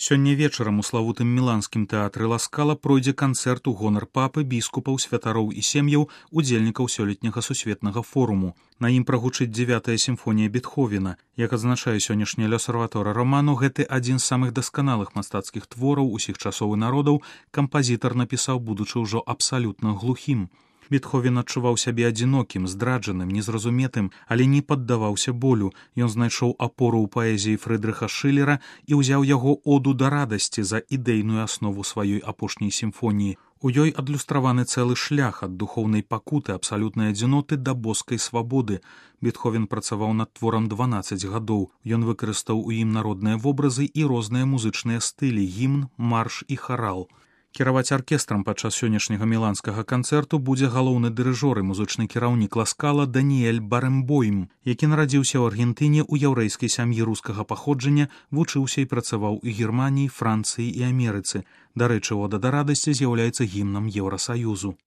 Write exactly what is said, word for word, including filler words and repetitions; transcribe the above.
Сёння вечарам у славутым міланскім тэатры Ла Скала пройдзе канцэрт у гонар папы, біскупаў, святароў і сем'яў, удзельнікаў сёлетняга сусветнага форуму. На ім прагучыць дзевятая сімфонія Бетховена. Як адзначае сённяшні L'Osservatore Romano, гэты адзін з самых дасканалых мастацкіх твораў усіх часоў і народаў кампазітар напісаў, будучы ўжо абсалютна глухім. Бетховен адчуваў сябе адзінокім, здраджаным, незразуметым, але не паддаваўся болю. Ён знайшоў апору ў паэзіі Фрыдрыха Шылера і ўзяў яго оду да радасці за ідэйную аснову сваёй апошняй сімфоніі. У ёй адлюстраваны цэлы шлях ад духоўнай пакуты, абсалютнай адзіноты да боскай свабоды. Бетховен працаваў над творам дванаццаць гадоў. Ён выкарыстаў у ім народныя вобразы і розныя музычныя стылі, гімн, марш і харал. Кіраваць аркестрам падчас сённяшняга міланскага канцэрту будзе галоўны дырыжор і музычны кіраўнік Ла Скала Даніэль Барэмбойм, які нарадзіўся ў Аргентыне ў яўрэйскай сям'і рускага паходжання, вучыўся і працаваў у Германіі, Францыі і Амерыцы. Дарэчы, ода да радасці з'яўляецца гімнам Еўрасаюзу.